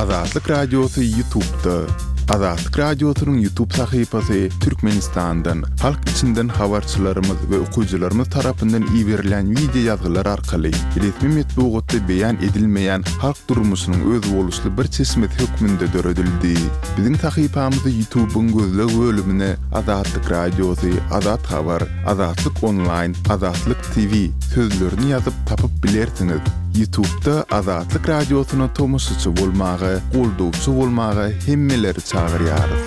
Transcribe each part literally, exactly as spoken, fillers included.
Azatlyk Radiosy YouTube'da. Azatlyk Radiosynyň YouTube sahypasy Türkmenistandan, halk içinden habarçylarymyz we okyjylarymyz tarapyndan iberilen wideo ýazgylar arkaly resmi metbugatda beýan edilmeýän halk durmuşynyň özboluşly bir çeşmesi hökmünde döredildi. Biziň sahypamyzy YouTube'yň gözleg bölümine Azatlyk Radiosy, Azat Habar, Azatlyk Online, Azatlyk T V sözlerini ýazyp tapyp bilersiňiz. YouTube'da Azatlyk Radiosyna tomaşaçy bolmaga, goldawçy bolmaga hemmeleri çagyrýarys.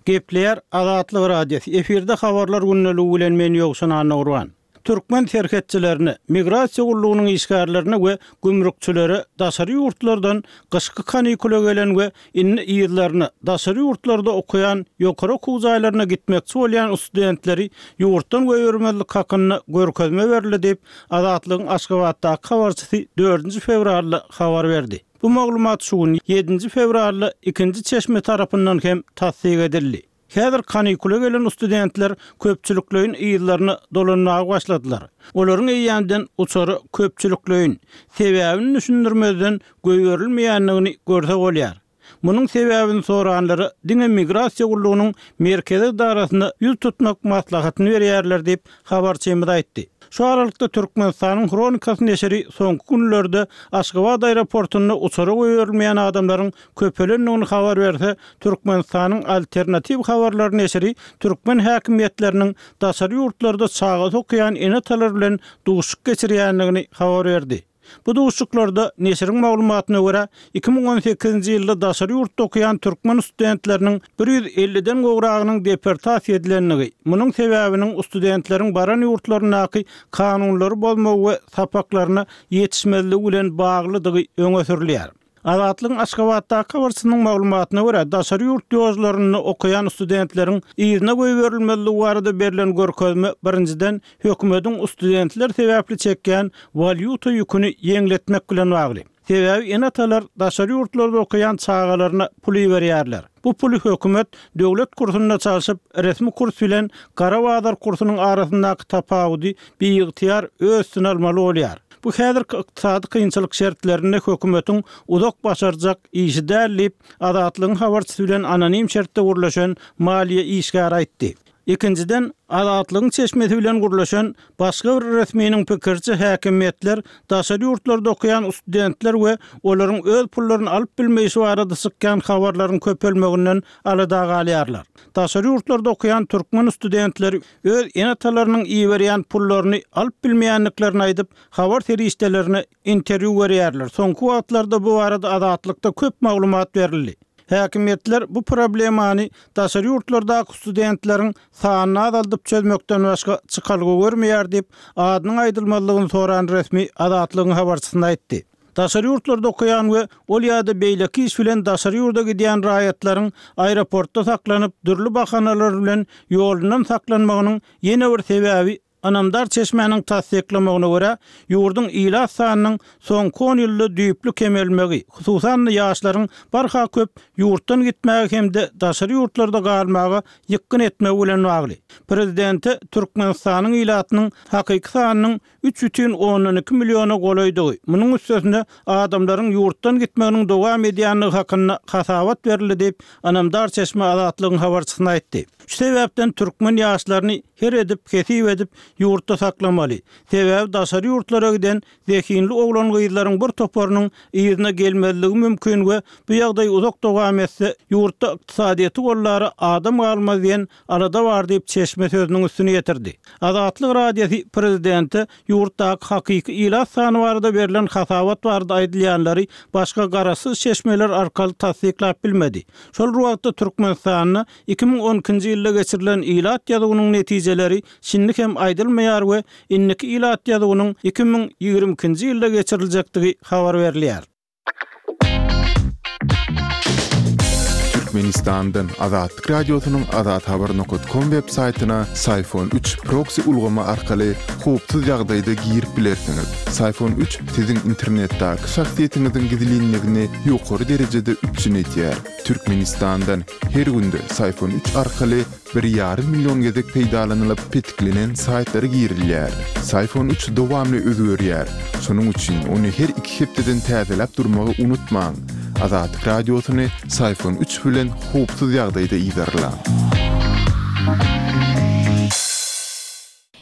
Gepleýär Azatlyk Radiosy. Efirde habarlar gündeligi bilen men Ýowşan Annagurban. Türkmen serhetçilerine, migrasiýa gullugynyň işgärlerine we gümrükçilere daşary ýurtlardan gyşky kanikula gelen we indi ýyllaryna daşary ýurtlarda okaýan ýokary okuw jaýlaryna gitmekçi bolýan studentleri ýurtdan goýbermezlik hakynda görkezme berildi diýip, Azatlygyň Aşgabatdaky habarçysy dördünji fewralda habar berdi. Bu maglumat şu gün ýedinji fewralda ikinji çeşme tarapyndan hem tassyk edildi. Häzir kanikula gelen studentler köpçülikleýin ýyllaryna dolanmaga başladylar. Olaryň eýýämden uçary köpçülikleýin sebäbini düşündirmezden goýberilmeýändigini görse bolýar. Munuň sebäbini soranlara diňe migrasiýa gullugynyň merkezi edarasynda ýüz tutmak maslahatyny berýärler diýip habarçymyz aýtdy. Şu aralykda Türkmenistanyň Hronikasy neşiri soňky günlerde Aşgabat aeroportunda uçara goýberilmeýän adamlaryň köpelendigini habar berse, Türkmenistanyň alternatiw habarlary neşiri türkmen häkimiýetleriniň daşary ýurtlarda çaga okaýan ene-atalar bilen duşuşyk geçirýändigini habar berdi. Bu duşuşyklarda neşiriň maglumatyna görä iki müň on sekizinji ýylda daşary ýurtda okaýan türkmen studentleriniň bir ýüz elliden gowragynyň deportasiýa edilendigi, munuň sebäbiniň studentleriň baran ýurtlaryndaky kanunlary bozmagy we sapaklaryna ýetişmezligi bilen baglydygy öňe sürülýär. Azatlygyň Aşgabatdaky habarçysynyň maglumatyna görä daşary ýurt ýollarynda okaýan studentleriň yzyna goýberilmezligi barada berlen görkezme birinjiden hökümetiň studentler sebäpli çekýän walýuta ýüküni ýeňletmek bilen bagly. Sebäbi ene-atalar daşary ýurtlarda okaýan çagalaryna pul berýärler. Bu puly hökümet döwlet kursunda çalşyp, resmi kurs bilen gara bazar kursunyň arasyndaky tapawudy biygtyýar öz üstüne almaly bolýar. Bu häzirki ykdysady kynçylyk şertlerinde hökümetiň uzak başarjak işi däl diýip, Azatlygyň habarçysy bilen anonim şertde gürleşen maliýe işgäri aýtdy. Ikinjiden, Azatlygyň çeşmesi bilen gürleşen başga bir resminiň pikiriçe häkimiýetler daşary ýurtlarda okaýan studentler we olaryň öz pullaryny alyp bilmeýşi barada çykýan habarlaryň köpelmeginden alada galýarlar. Daşary ýurtlarda okaýan türkmen studentleri öz ene-atalarynyň iberýän pullaryny alyp bilmeýändiklerini aýdyp, habar serişdelerine interwýu berýärler. Soňky wagtlarda bu barada Azatlykda köp maglumat berildi. Häkimiýetler bu problemany daşary ýurtlardaky studentleriň sanyny azaldyp çözmekden başga çykalga görmeýär diýip, adynyň aýdylmazlygyny soran resmi Azatlygyň habarçysyna aýtdy. Daşary ýurtlarda okaýan we ol ýa-da beýleki iş bilen daşary ýurda gidýän raýatlaryň aeroportda saklanyp, dürli bahanalar bilen ýolundan saklanmagynyň ýene bir sebäbi Ynamdar çeşmäniň tassyklamagyna görä, ýurduň ilat sanynyň soňky on ýylda düýpli kemelmegi, hususan-da ýaşlaryň barha köp ýurtdan gitmäge hem-de daşary ýurtlarda galmaga ýykgyn etmegi bilen bagly. Prezidente Türkmenistanyň ilatynyň hakyky sanynyň üç bütin ondan iki milliona golaýdygy, munuň üstesine adamlaryň ýurtdan gitmeginiň dowam edýändigi hakynda hasabat berildi diýip, Ynamdar çeşme Azatlygyň habarçysyna aýtdy. Şu sebäpden türkmen ýaşlaryny her edip, hesip edip ýurtda saklamaly. Sebäbi daşary ýurtlara giden zehinli oglan gyzlaryň bir toparynyň yzyna gelmezligi mümkin we bu ýagdaý uzak dowam etse, ýurtda ykdysadyýeti gollara adam galmaz diýen alada bar diýip çeşme sözüniň üstüne ýetirdi. Azatlyk Radiosy prezidente ýurtdaky hakyky ilat sany barada berlen hasabat barada aýdylýanlary başga garaşsyz çeşmeler arkaly tassyklap bilmedi. Şol wagtda Türkmenistanda iki müň on ikinji ýylda geçirilen ilat ýazuwynyň netijeleri şindi hem aýdylmaýar we indiki ilat ýazuwynyň iki müň ýigrimi ikinji ýylda geçiriljekdigi habar berilýär. Türkmenistandan Azatlyk Radiosynyň azathabar nokat kom web saýtyna Syfon üç proksi ulgamy arkaly howpsuz ýagdaýda girip bilersiňiz. Syfon üç siziň internetdäki şahsyýetiňiziň gizlinligini ýokary derejede üpjün edýär. Türkmenistandan her günde Syfon üç arkaly bir ýarym million gezek peýdalanylyp petiklenen saýtlara girilýär. Syfon üç dowamly özgerýär. Şonuň üçin ony her iki hepdeden täzeläp durmagy unutmaň. Azatlyk Radiosyny Syfon üç bilen howpsuz ýagdaýda yzarlaň.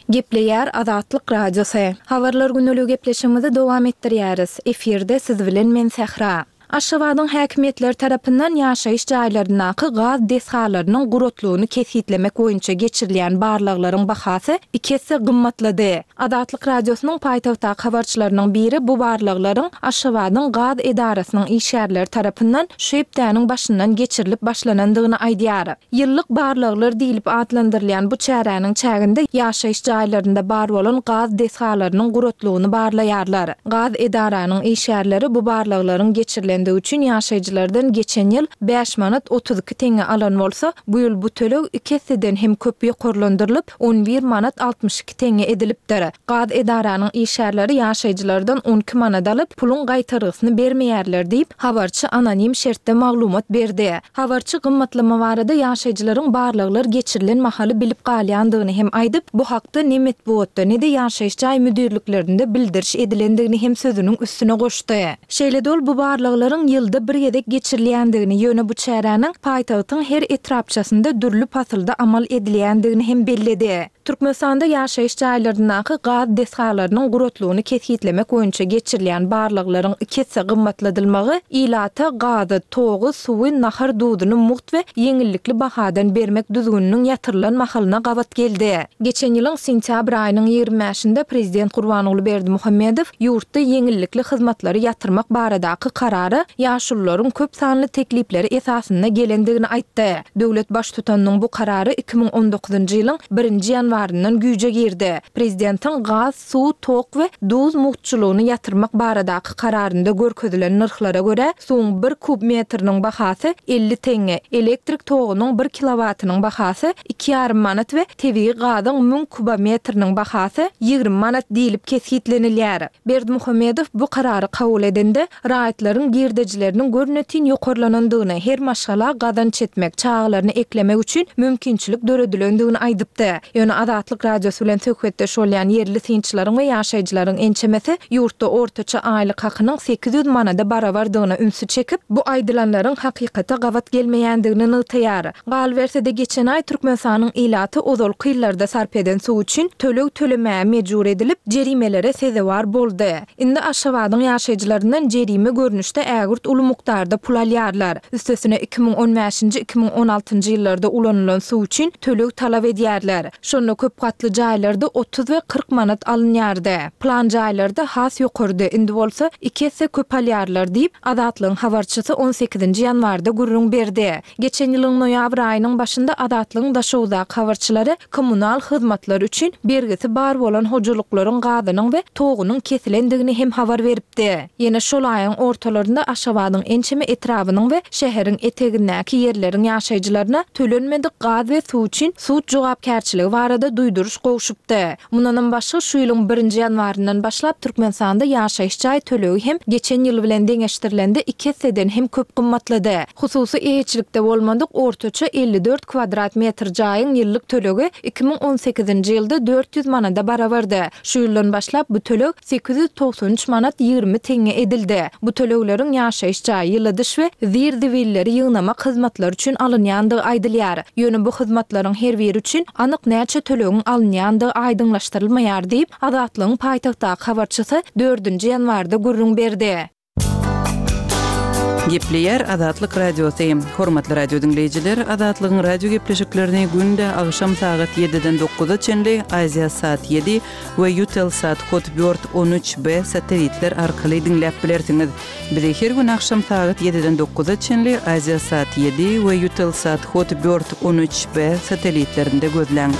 Gepleýär Azatlyk Radiosy. Habarlar gündeligi gepleşigimizi dowam etdirýäris. Efirde siz bilen men Sähra. Aşgabadyň häkimiýetleri tarapyndan ýaşaýyş jaýlaryndaky gaz desgalarynyň guratlygyny kesgitlemek boýunça geçirilýän barlaglaryň bahasy iki esse gymmatlady. Azatlyk Radiosynyň paýtagtdaky habarçylarynyň biri bu barlaglaryň Aşgabadyň gaz edarasynyň işgärleri tarapyndan şu hepdäniň başyndan geçirilip başlanandygyny aýdýar. Ýyllyk barlaglar diýlip atlandyrylýan bu çäräniň çäginde ýaşaýyş jaýlarynda bar bolan gaz desgalarynyň guratlygyny barlaýarlar. Gaz edaranyň işgärleri bu barlaglaryň geçirilendigi üçin ýaşaýjylardan geçen ýyl bäş manat otuz iki teňňe alan bolsa, bu ýyl bu töleg iki esseden hem köp ýokarlandyrylyp, on bir manat altmyş iki teňňe edilipdir. Gaz edaranyň işgärleri ýaşaýjylardan on iki manat alyp, puluň gaýtargysyny bermeýärler diýip, habarçy anonim şertde maglumat berdi. Habarçy gymmatlama barada ýaşaýjylaryň barlaglar geçirilen mahaly bilip galýandygyny hem aýdyp, bu hakda ne metbugatda, ne-de ýaşaýyş jaý müdirliklerinde bildiriş edilendigini hem sözüniň üstüne goşdy. Şeýle-de ol bu barlaglaryň ýylda bir gezek geçirilýändigini, ýöne bu çäräniň paýtagtyň her etrapçasynda dürli pasylda amal edilýändigini hem belledi. Türkmenistanda ýaşaýyş jaýlaryndaky gaz desgalarynyň guratlygyny kesgitlemek boýunça geçirilýän barlaglaryň iki esse gymmatladylmagy ilata gazy, togy, suwy, nahar duzuny mugt we ýeňillikli bahadan bermek düzgüniniň ýatyrylan mahalyna gabat geldi. Geçen ýylyň sentýabr aýynyň ýigrimi bäşinde Prezident Gurbanguly Berdimuhamedow ýurtda ýeňillikli hyzmatlary ýatyrmak baradaky karara ýaşulularyň köp sanly teklipleri esasynda gelendigini aýtdy. Döwlet baştutanynyň bu karary iki müň on dokuzynjy ýylyň birinji ýanwaryndan güýje girdi. Prezidentiň gaz, suw, tok we duz mugtçulygyny ýatyrmak baradaky kararynda görkezilen nyrhlara görä, suwuň bir kub metriniň bahasy elli teňňe, elektrik togunyň bir kilowatynyň bahasy iki ýarym manat we tebigy gazyň müň kubometriniň bahasy ýigrimi manat diýlip kesgitlenilýär. Berdimuhamedow bu karary kabul edende, raýatlaryň girdejileriniň görnetin ýokarlanandygyny, her maşgala gazanç etmek, çagalaryny eklemek üçin mümkinçilik döredilendigini aýdypdy. Ýöne Azatlyk Radiosy bilen söhbetdeş bolýan ýerli synçylaryň we ýaşaýjylaryň ençemesi ýurtda ortaça aýlyk hakynyň sekiz ýüz manada barabardygyna ünsi çekip, bu aýdylanlaryň hakykata gabat gelmeýändigini nygtaýar. Galyberse-de geçen aý Türkmenistanyň ilaty ozalky ýyllarda sarp eden suw üçin töleg tölemäge mejbur edilip, jerimelere sezewar boldy. Indi Aşgabadyň ýaşaýjylaryndan jerime görnüşde ägirt uly mukdarda pul alýarlar. Üstesine iki müň on bäşinji, iki müň on altynjy ýyllarda ulanylan suw üçin töleg talap edýärler. Şonda köp gatly jaýlarda otuz we kyrk manat alynýardy. Plan jaýlarda has ýokardy, indi bolsa iki esse köp alýarlar diýip, Azatlygyň habarçysy on sekizinji ýanwarda gürrüň berdi. Geçen ýylyň noýabr aýynyň başynda Azatlygyň Daşoguzdaky habarçylary kommunal hyzmatlar üçin bergisi bar bolan hojalyklaryň gazynyň we togunyň kesilendigini hem habar beripdi. Ýene şol aýyň ortalarynda Aşgabadyň ençeme etrabynyň we şäheriň etegindäki ýerleriň ýaşaýjylaryna tölenmedik gaz we suw üçin sud jogapkärçiligi barada duýduryş gowşupdy. Mundanam başga şu ýylyň birinji ýanwaryndan başlap Türkmenistanda ýaşaýyş jaý tölegi hem geçen ýyl bilen deňeşdirilende iki esseden hem köp gymmatlady. Hususy eýeçilikde bolmadyk ortaça elli dört kvadrat metr jaýyň ýyllyk tölegi iki müň on sekizinji ýylda dört ýüz manada barabardy. Şu ýyldan başlap bu töleg sekiz ýüz togsan üç manat ýigrimi teňňe edildi. Bu tölegleriň ýaşaýyş jaý, ýyladyş we zir-zibilleri ýygnamak hyzmatlary üçin alynýandygy aýdylýar. Ýöne bu hyzmatlaryň her biri üçin anyk näçe tölegiň alynýandygy aýdyňlaşdyrylmaýar diýip, Azatlygyň paýtagtdaky habarçysy dördünji ýanwarda gürrüň berdi. Gepleýär Azatlyk Radiosy. Hormatly radio diňleýjiler, Azatlygyň radio gepleşiklerini günde agşam sagat ýediden dokuza çenli Aziýa saat ýedi we Eutelsat Hotbird on üç B satellitler arkaly diňläp bilersiňiz. Bizi her gün agşam sagat ýediden dokuza çenli Aziýa saat ýedi we Eutelsat Hotbird on üç B satellitlerinde gözläň.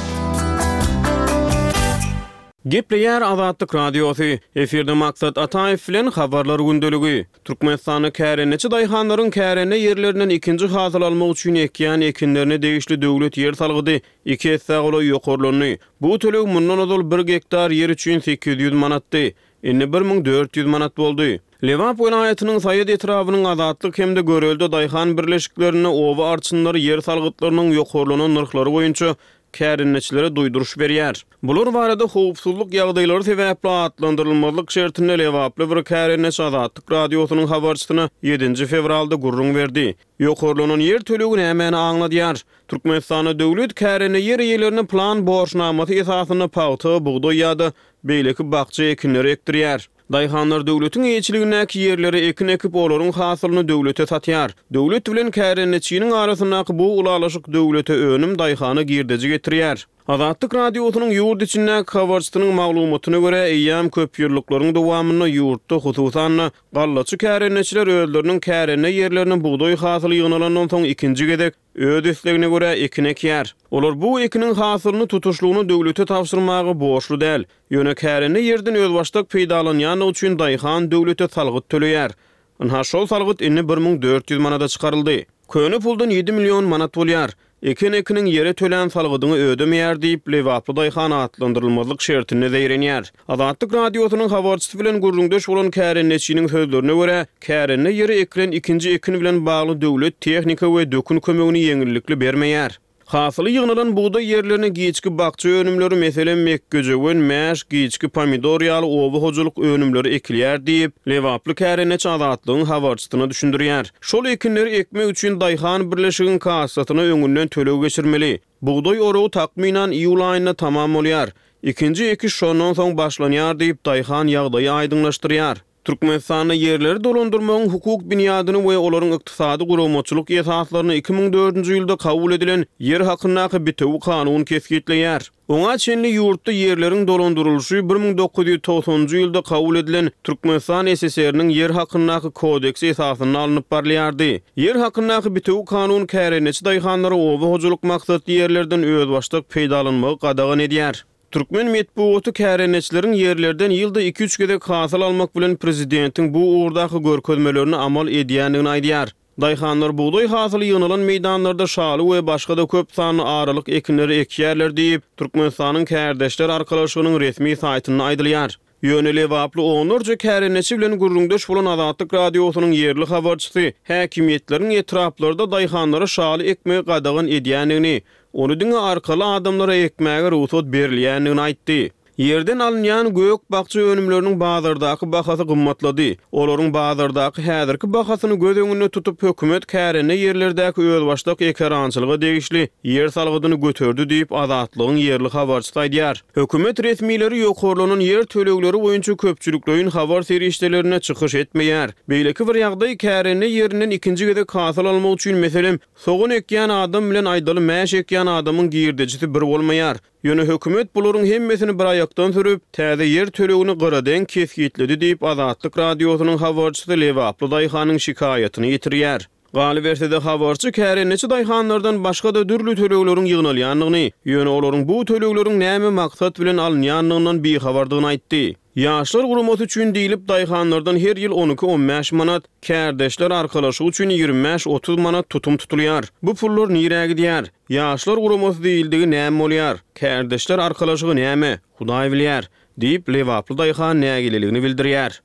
Gepleýär Azatlyk Radiosy, efirde Maksat Ataýew bilen Habarlar gündeligi. Türkmenistanda kärendeçi daýhanlaryň kärende ýerlerinden ikinji hasyl almak üçin ekýän ekinlerine degişli döwlet ýer salgydy iki essä golaý ýokarlandy. Bu töleg mundan ozal bir gektar ýer üçin sekiz ýüz manatdy. Indi bir müň dört ýüz manat boldy. Lebap welaýatynyň Saýat etrabynyň Azatlyk hem-de Görelde daýhan birleşiklerinde oba arçynlary ýer salgytlarynyň ýokarlanan nyrhlary boýunça kärendeçilere duýduryş berýär. Bular barada howpsuzlyk ýagdaýlary sebäpli atlandyrylmazlyk şertinde lebaply bir kärendeçi Azatlyk Radiosynyň habarçysyna ýedinji fewralda gürrüň berdi. Ýokarlanan ýer tölegi nämäni aňladýar? Türkmenistanda döwlet kärende ýer eýelerine plan borçnamasy esasynda pagta, bugdaý ýa-da beýleki bakja ekinleri ekdirýär. Daýhanlar döwletiň eýeçiligindäki ýerlere ekin ekip, olaryň hasylyny döwlete satýar. Döwlet bilen kärendeçiniň arasyndaky bu ylalaşyk döwlete önüm, daýhana girdeji getirýär. Azatlyk Radiosynyň ýurt içindäki habarçysynyň maglumatyna görä, eýýäm köpýyllyklaryň dowamynda ýurtda, hususan-da, gallaçy kärendeçiler özleriniň kärende ýerlerine bugdaý hasyly ýygnalandan soň ikinji gezek öz islegine görä ekin ekýär. Olar bu ekiniň hasylyny tutuşlygyna döwlete tabşyrmaga borçly däl. Ýöne kärende ýerden özbaşdak peýdalanýandygy üçin daýhan döwlete salgyt töleýär. Ynha, şol salgyt indi bir müň dört ýüz manada çykaryldy. Köne puldan ýedi million manat bolýar. Eken ekiniň ýere tölän salgydyňy ödemeýär diýip, lebaply daýhan atlandyrylmazlyk şertinde zeýrenýär. Azatlyk Radiosynyň habarçysy bilen gürrüňdeş bolan kärendeçiniň sözlerine görä, kärende ýere ekilen ikinji ekin bilen bagly döwlet tehnika we dökün kömegini ýeňillikli bermeýär. Hasyly ýygnalan bugdaý ýerlerine giçki bakja önümleri, meselem, mekgejöwen, mäş, giçki pomidor ýaly oba hojalyk önümleri ekilýär diýip, lebaply kärendeçi Azatlygyň habarçysyna düşündirýär. Şol ekinleri ekmek üçin daýhan birleşigiň kassasyna öňünden töleg geçirmeli. Bugdaý oragy takmynan iýul aýynda tamam bolýar. Ikinji ekiş şondan soň başlanýar diýip, daýhan ýagdaýy aýdyňlaşdyrýar. Türkmenistanda ýerleri dolandyrmagyň hukuk binýadyny we olaryň ykdysady guramaçylyk esaslaryny iki müň dördünji ýylda kabul edilen Ýer hakyndaky bitewi kanun kesgitleýär. Oňa çenli ýurtda ýerleriň dolandyrylyşy bir müň dokuz ýüz togsanynjy ýylda kabul edilen Türkmenistan S S R-niň Ýer hakyndaky kodeksi esasynda alnyp barylýardy. Ýer hakyndaky bitewi kanun kärendeçi daýhanlara oba hojalyk maksatly ýerlerden özbaşdak peýdalanmagy gadagan edýär. Türkmen metbugaty kärendeçileriň ýerlerden ýylda iki-üç gezek hasyl almak bilen prezidentiň bu ugurdaky görkezmelerini amal edýändigini aýdýar. Daýhanlar bugdaý hasyly ýygnalan meýdanlarda şaly we başga-da köp sanly aralyk ekinleri ekýärler diýip, Türkmenistanyň Kärdeşler arkalaşygynyň resmi saýtynda aýdylýar. Ýöne lebaply onlarça kärendeçi bilen gürrüňdeş bolan Azatlyk Radiosynyň ýerli habarçysy häkimiýetleriň etraplarda daýhanlara şaly ekmegi gadagan edýändigini, ony diňe arkaly adamlara ekmäge rugsat berilýändigini aýtdy. Ýerden alynýan gök-bakja önümleriniň bazardaky bahasy gymmatlady. Olaryň bazardaky häzirki bahasyny göz öňünde tutup, hökümet kärende ýerlerdäki özbaşdak ekerançylyga degişli ýer salgydyny göterdi diýip, Azatlygyň ýerli habarçysy aýdýar. Hökümet resmileri ýokarlanan ýer tölegleri boýunça köpçülikleýin habar serişdelerinde çykyş etmeýär. Beýleki bir ýagdaý, kärende ýerinden ikinji gezek hasyl almak üçin, meselem, sogan ekýän adam bilen aýdaly mäş ekýän adamyň girdejisi bir bolmaýar. Ýöne hökümet bularyň hemmesini bir aýakdan sürüp, täze ýer tölegini gyradeň kesgitledi diýip, Azatlyk Radiosynyň habarçysy lebaply daýhanyň şikaýatyny ýetirýär. Galyberse-de, habarçy kärendeçi daýhanlardan başga-da dürli tölegleriň ýygnalýandygyny, ýöne olaryň bu tölegleriň näme maksat bilen alynýandygyndan bihabardygyny aýtdy. Ýaşlar guramasy üçin diýlip, daýhanlardan her ýyl on iki-on bäş manat, kärdeşler arkalaşygy üçin ýigrimi bäş-otuz manat tutum tutulýar. Bu pullar nirä gidýär? Ýaşlar guramasy diýildigi näme bolýar? Kärdeşler arkalaşygy näme? Hudaý bilýär, diýip, lebaply daýhan nägileligini bildirýär.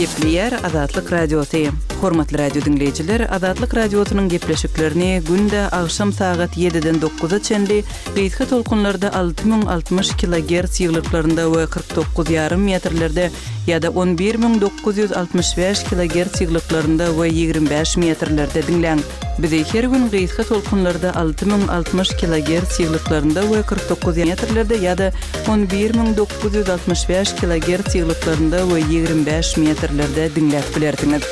Gepleýär Azatlyk Radiosy. Hormatly radio diňleýjiler, Azatlyk Radiosynyň gepleşiklerini günde agşam sagat ýediden dokuza çenli gysga tolkunlarda alty müň altmyş kilogertz ýyglyklarynda we kyrk dokuz ýarym metrlerde ýa-da on bir müň dokuz ýüz altmyş bäş kilogertz ýyglyklarynda we ýigrimi bäş metrlerde diňläň. Bizi her gün gysga tolkunlarda alty müň altmyş kilogertz ýyglyklarynda we kyrk dokuz metrlerde ýa-da on bir müň dokuz ýüz altmyş bäş kilogertz ýyglyklarynda we ýigrimi bäş metrlerde diňläp bilersiňiz.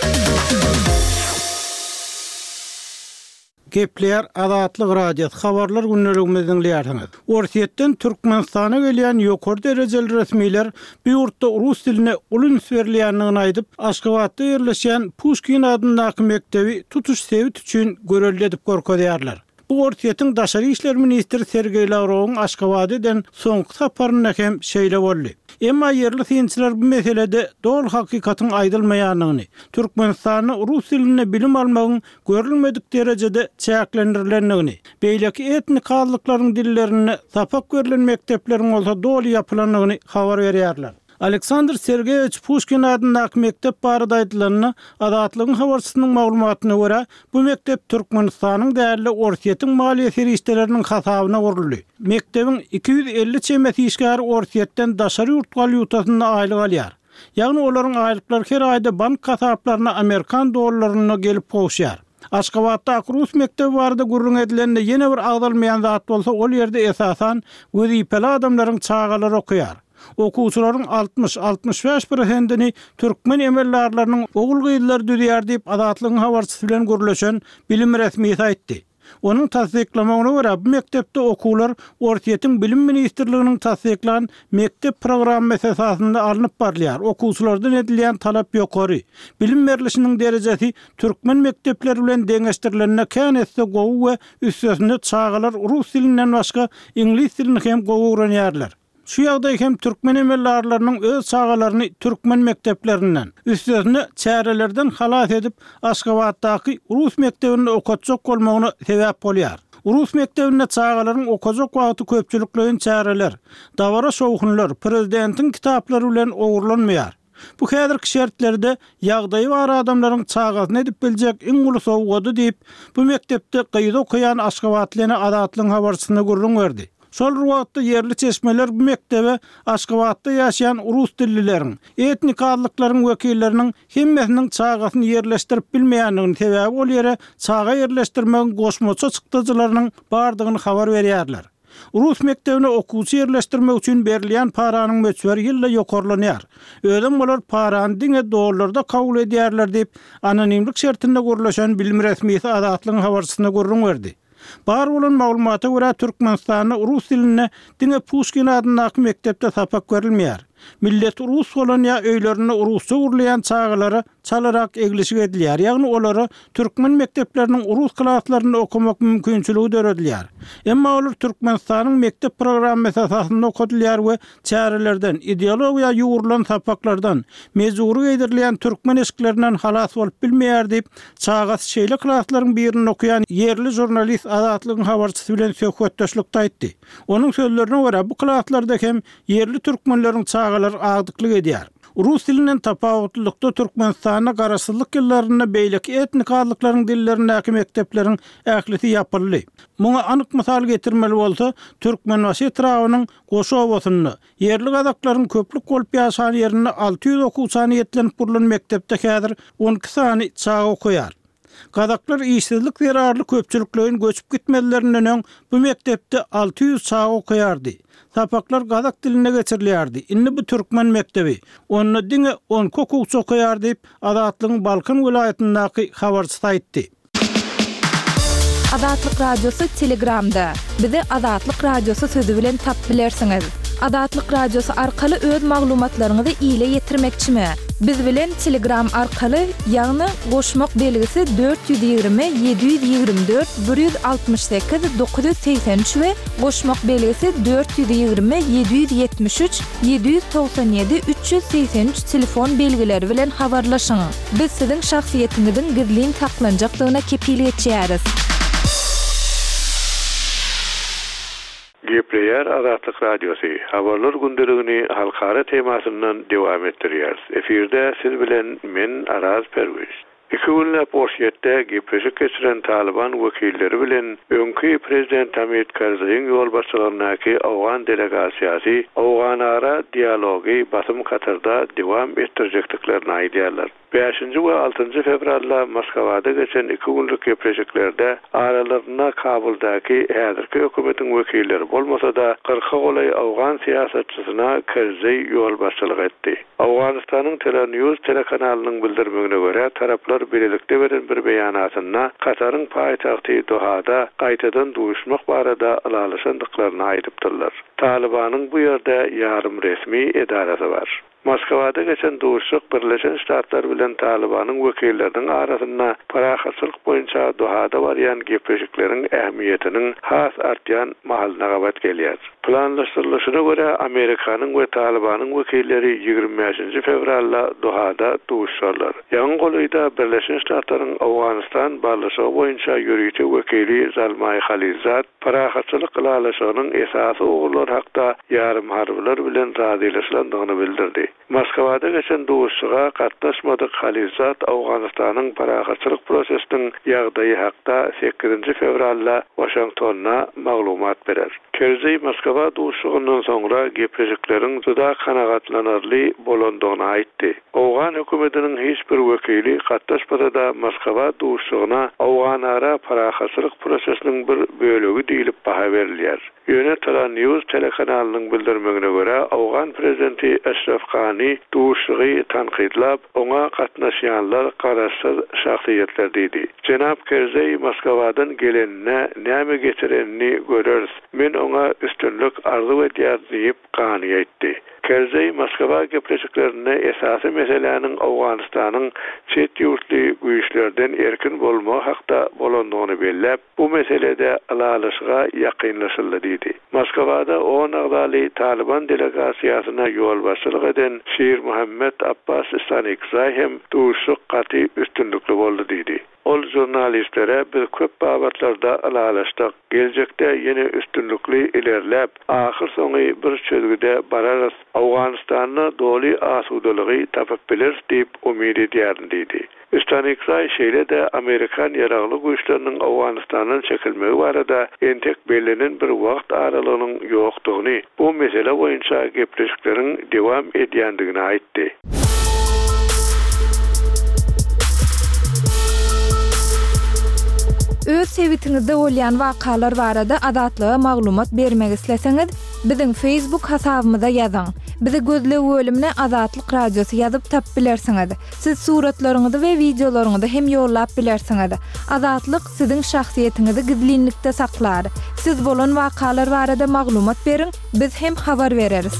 Gepleýär Azatlyk Radiosy, habarlar gündeligimizi diňleýärsiňiz. Orsýetden Türkmenistana gelýän ýokary derejeli resmiler bu ýurtda rus diline uly üns berilýändigini aýdyp, Aşgabatda ýerleşýän Puşkin adyndaky mekdebi tutuş sebit üçin görelde edip görkezýärler. Bu Orsýetiň daşary işler ministri Sergeý Lawrowyň Aşgabada eden soňky saparynda hem şeýle boldy. Emma ýerli synçylar bu meselede doly hakykatyň aýdylmaýandygyny, Türkmenistanda rus dilinde bilim almagyň görülmedik derejede çäklendirilendigini, beýleki etnik azlyklaryň dillerinde sapak berlen mekdepleriň bolsa doly ýapylandygyny habar berýärler. Aleksandr Sergeýewiç Puşkin adyndaky mekdep barada aýdylanda, Azatlygyň habarçysynyň maglumatyna görä, bu mekdep Türkmenistanyň däl-de, Orsýetiň maliýe serişdeleriniň hasabyna guruldy. Mekdebiň iki ýüz elli çemesi işgäri Orsýetden daşary ýurt walýutasynda aýlyk alýar. Ýagny olaryň aýlyklary her aýda bank hasaplaryna amerikan dollarynda gelip gowuşýar. Aşgabatdaky rus mekdebi barada gürrüň edilende ýene bir agzalmaýan zat bolsa ol ýerde esasan wezipeli adamlaryň çagalary okaýar. Okuwçylaryň altmyş, altmyş bäş prosentini türkmen emeldarlarynyň ogul-gyzlary düzýär diýip, Azatlygyň habarçysy bilen gürleşen bilim resmisi aýtdy. Onuň tassyklamagyna görä, bu mekdepde okuwlar Orsýetiň Bilim ministrliginiň tassyklan mekdep programmasy esasynda alnyp barylýar, okuwçylardan edilýän talap ýokary, bilim berlişiniň derejesi türkmen mekdepleri bilen deňeşdirilende kän esse gowy we üstesine çagalar rus dilinden başga iňlis dilini hem gowy öwrenýärler. Şu ýagdaý hem türkmen emeldarlarynyň öz çagalaryny türkmen mekdeplerinden, üstesine çärelerden halas edip, Aşgabatdaky rus mekdebinde okatjak bolmagyna sebäp bolýar. Rus mekdebinde çagalaryň okajak wagty köpçülikleýin çäreler, dabara-şowhunlar, prezidentiň kitaplary bilen ogurlanmaýar. Bu häzirki şertlerde ýagdaýy bar adamlaryň çagasyna edip biljek iň uly sowgady diýip, bu mekdepde gyzy okaýan aşgabatly ene Azatlygyň habarçysyna gürrüň berdi. Şol bir wagtda ýerli çeşmeler bu mekdebe Aşgabatda ýaşaýan rus dillileriň, etnik azlyklaryň wekilleriniň hemmesiniň çagasyny ýerleşdirip bilmeýändigini, sebäbi ol ýere çaga ýerleşdirmegiň goşmaça çykdajylarynyň bardygyny habar berýärler. Rus mekdebine okuwçy ýerleşdirmek üçin berilýän paranyň möçberi ýylda ýokarlanýar. Özem olar parany diňe dollarda kabul edýärler diýip, anonimlik şertinde gürleşen bilim resmisi Azatlygyň habarçysyna gürrüň berdi. Bar bolan maglumata görä, Türkmenistanda rus dilinde diňe Puşkin adyndaky mekdepde sapak berilmeýär. Milleti rus bolan ýa öýlerinde rusça gürleýän çagalara çalarak eglişik edilýär, ýagny olara türkmen mekdepleriniň rus klaslarynda okamak mümkinçiligi döredilýär. Emma olar Türkmenistanyň mekdep programmasy esasynda okadylýar we çärelerden, ideologiýa ýugrulan sapaklardan, mejbury geýdirilýän türkmen eşiklerinden halas bolup bilmeýär diýip, çagasy şeýle klaslaryň birinde okaýan ýerli žurnalist Azatlygyň habarçysy bilen söhbetdeşlikde aýtdy. Onuň sözlerine görä, bu klaslarda hem ýerli türkmenleriň çagalary agdyklyk edýär. Rus dilinden tapawutlylykda Türkmenistanda garaşsyzlyk ýyllarynda beýleki etnik azlyklaryň dillerindäki mekdepleriň ählisi ýapyldy. Muňa anyk mysal getirmeli bolsa, Türkmenbaşy etrabynyň Goşa obasynda, ýerli gazaklaryň köplük bolup ýaşan ýerinde alty ýüz okuwça niýetlenip gurlan mekdepde häzir on iki sany çaga okaýar. Gazaklar işsizlik zerarly köpçülikleýin göçüp gitmezlerinden öň bu mekdepde alty ýüz çaga okaýardy. Sapaklar gazak dilinde geçirilýärdi. Indi bu türkmen mekdebi. Onda diňe on iki okuwçy okaýar diýip, Azatlygyň Balkan welaýatyndaky habarçysy aýtdy. Azatlyk Radiosy Telegramda. Bizi Azatlyk Radiosy sözi bilen tapyp bilersiňiz. Azatlyk Radiosy arkaly öz maglumatlaryňyzy ile ýetirmekçimi? Biz bilen Telegram arkaly, ýagny goşmak belgisi dört ýüz ýigrimi, ýedi ýüz ýigrimi dört, bir ýüz altmyş sekiz, dokuz ýüz segsen üç we goşmak belgisi dört ýüz ýigrimi, ýedi ýüz ýetmiş üç, ýedi ýüz togsan ýedi, üç ýüz segsen üç telefon belgileri bilen habarlaşyň. Biz siziň şahsyýetiňiziň gizlin saklanjakdygyna kepil geçýäris. Gepleýär Azatlyk Radiosy, Habarlar gündeligini halkara temasyndan dowam etdirýäris. Efirde siz bilen men Araz Perwiz. Iki günläp Orsýetde gepleşik geçiren Talyban wekilleri bilen öňki prezident Hamid Karzaýyň ýolbaşçylygyndaky owgan delegasiýasy owganara dialogy basym Katarda dowam etdirjekdiklerini aýdýarlar. Bäşinji we altynjy fewralda Moskwada geçen iki günlük gepleşiklerde aralarynda Kabuldaky häzirki hökümetiň wekilleri bolmasa-da, kyrka golaý owgan syýasatçysyna Karzaý ýolbaşçylyk etdi. Owganystanyň Telenews telekanalynyň bildirmegine görä, taraplar birlikde beren bir beýanatynda Kataryň paýtagty Dohada gaýtadan duşmak barada ylalaşandyklaryny aýdypdyrlar. Talybanyň bu ýerde ýarym resmi edarasy bar. Moskwada geçen duşuşyk Birleşen Ştatlar bilen Talybanyň wekilleriniň arasynda parahatçylyk boýunça Dohada barýan gepleşikleriň ähmiýetiniň has artýan mahalyna gabat gelýär. Planlaşdyrylyşyna görä, Amerikanyň we Talybanyň wekilleri ýigrimi bäşinji fewralda Dohada duşuşarlar. Ýaňy golaýda Birleşen Ştatlaryň Owganystan barlyşygy boýunça ýörite wekili Zalmaý Halilzad parahatçylyk ylalaşygynyň esasy ugurlary hakda ýarym harbylar bilen razylaşylandygyny bildirdi. Moskwada geçen duşuşyga gatnaşmadyk Halilzad Owganystanyň parahatçylyk prosesiniň ýagdaýy hakda sekizinji fewralda Waşingtonda maglumat berer. Kerzeý Moskwa duşuşygyndan soňra gepleşikleriň juda kanagatlanarly bolandygyny aýtdy. Owgan hökümetiniň hiç bir wekili gatnaşmasa-da Moskwa duşuşygyna Owganara parahatçylyk prosesiniň bir bölegi diýlip baha berilýär. Ýöne Tala News telekanalynyň bildirmegine görä, Owgan prezidenti Eşref Gani duşuşygy tankytlap, oňa gatnaşýanlar garaşsyz şahsyýetler diýdi. Jenap Kerzeý Moskwadan gelenine näme getirenini göreris. Men oňa üstünlik arzuw edýär diýip Gani aýtdy. Kerzeý Moskwa gepleşiklerinde esasy meseläniň Owganystanyň çet ýurtly güýçlerden erkin bolmagy hakda bolandygyny belläp, bu meselede ylalaşyga ýakynlaşyldy diýdi. Moskwada on agzaly Taliban delegasiýasyna ýolbaşçylyk eden Şir Muhammed Abbas Stanikzay hem duşuşyk gaty üstünlikli boldy diýdi. Ol jurnalistlere biz köp babatlarda ylalaşdyk, geljekde ýene üstünlikli ilerläp, ahyr soňy bir çözgüde bararys, Owganystanda doly asudalygy tapyp bileris diýip umyt edýärin diýdi. Stanikzay şeýle-de Amerikan ýaragly güýçleriniň Owganystandan çekilmegi barada entek bellenen bir wagt aralygynyň ýokdugyny, bu mesele boýunça gepleşikleriň dowam edýändigini aýtdy. Öz sebitiňizde bolýan wakalar barada Azatlyga maglumat bermek isleseňiz, biziň Facebook hasabymyza ýazyň. Bizi gözleg bölümine Azatlyk Radiosy ýazyp tap bilersiňiz. Siz suratlaryňyzy we wideolaryňyzy hem ýollap bilersiňiz. Azatlyk siziň şahsyýetiňizi gizlinlikde saklar. Siz bolan wakalar barada maglumat beriň, biz hem habar bereris.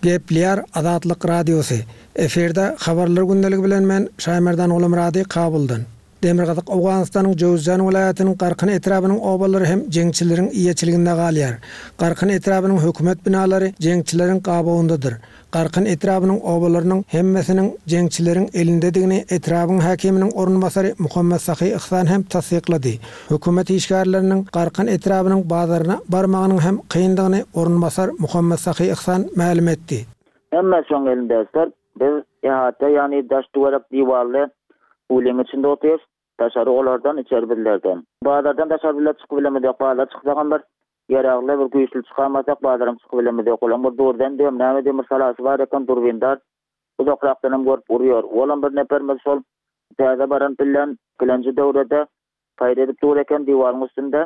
Gepleýär Azatlyk Radiosy. Efirde habarlar gündeligi bilen men Şaýmerdan Gulumyrady Kabuldan. Demirgazyk Owganystanyň Jöwüzjan welaýatynyň Garkyn etrabynyň obalary hem jeňçileriň eýeçiliginde galýar. Garkyn etrabynyň hökümet binalary jeňçileriň gabawyndadyr. Garkyn etrabynyň obalarynyň hemmesiniň jeňçileriň elindedigini etrabyň häkiminiň orunbasary Muhammed Sahy Ihsan hem tassyklady. Hökümet işgärleriniň Garkyn etrabynyň bazaryna barmagynyň hem kyndygyny orunbasar Muhammed Sahy Ihsan mälim etdi. Hemme şoň elinde biz ihata, ýagny daş duwarak diwarly ulyň içinde oturýarys. Daşary olardan, içeri bizlerden. Bazardan daşary bizler çykyp bilemizok. Bazar çyksak bir ýaragly bir güýçli çykarmasak bazaram çykyp bilemizok. Olaň bir durdan diýem, näme diýem bir salasy bar eken durbindar. Uzakrakdan hem görüp urýar. Olam bir neperimiz şol täze baran bilen bilenji döwrede paýda edip dur eken diwaryň üstünde.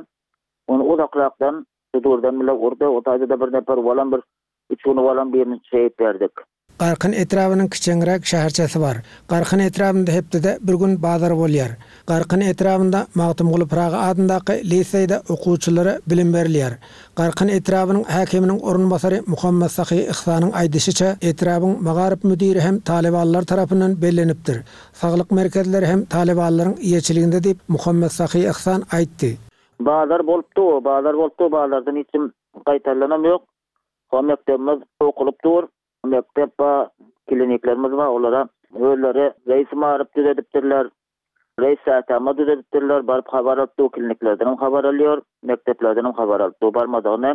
Ony uzakrakdan durdan bile urdy. O taýda bir neper olam bir üç güni olam birini şehit berdik. Garkyn etrabynyň kiçeňräk şäherçesi bar. Garkyn etrabynda hepdede bir gün bazar bolýar. Garkyn etrabynda Magtymguly Pyragy adyndaky liseýde okuwçylara bilim berilýär. Garkyn etrabynyň häkiminiň orunbasary Muhammed Sahy Ihsanyň aýdyşyça etrabyň magaryf müdiri hem talybanlar tarapyndan bellenipdir. Saglyk merkezleri hem talybanlaryň eýeçiliginde diýip Muhammed Sahy Ihsan aýtdy. Bazar bolupdy, bazar bolupdy, bazardan hiç kim gaýtalanam ýok. Ho mekdebimiz okulyp dur. Mektep ba, kliniklerimiz bar, olara özleri reis maryp düzedipdirler. Reis sätama düzedipdirler, baryp habar alyp dur, kliniklerden hem habar alýar, mekteplerden hem habar alyp dur, barmadygyny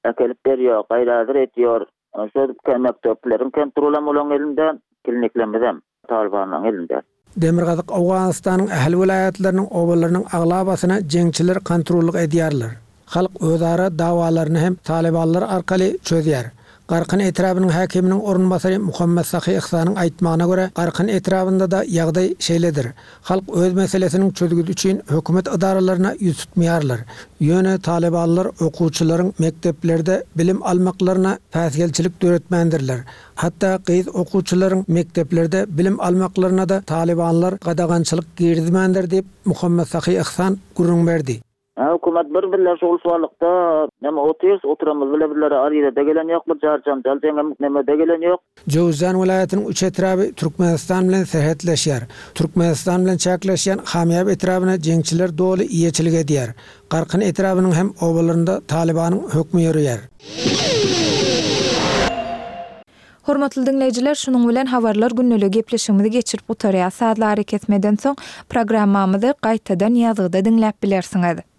äkelip berýär, gaýradyr etýär. Şo mekdepleriň kontrolam olaň elinde, kliniklerimiz hem talybanlaryň elinde. Demirgazyk Owganystanyň ähli welaýatlarynyň obalarynyň aglabasyna jeňçiler kontrollyk edýärler. Halk özara dawalaryny hem talybanlar arkaly çözýär. Garkyn etrabynyň häkiminiň orunbasary Muhammed Sahy Ihsanyň aýtmagyna görä, Garkyn etrabynda da ýagdaý şeýledir. Halk öz meselesiniň çözgüdi üçin hökümet edaralaryna ýüz tutmaýarlar. Ýöne talybanlar okuwçylaryň mekdeplerde bilim almaklaryna päsgelçilik döretmändirler. Hatda gyz okuwçylaryň mekdeplerde bilim almaklaryna da talybanlar gadagançylyk girizmändir diýip Muhammed Sahy Ihsan gürrüň berdi. Hökümet bir bizler şol suwalykda näme otyrys, oturamyz bile bizlere aryza-da gelen ýok, bir jar janjal jeňem näme-de gelen ýok. Jöwüzjan welaýatynyň üç etraby Türkmenistan bilen serhetleşýär. Türkmenistan bilen çäkleşýän Hamýap etrabyna jeňçiler doly eýeçilik edýär. Garkyn etrabynyň hem obalarynda Talybanyň hökmi ýöreýär. Hormatly diňleýjiler, şunuň bilen habarlar gündeligi gepleşigimizi geçirip gutarýas. Sazly arakesmeden soň programmamyzy gaýtadan ýazgyda diňläp bilersiňiz.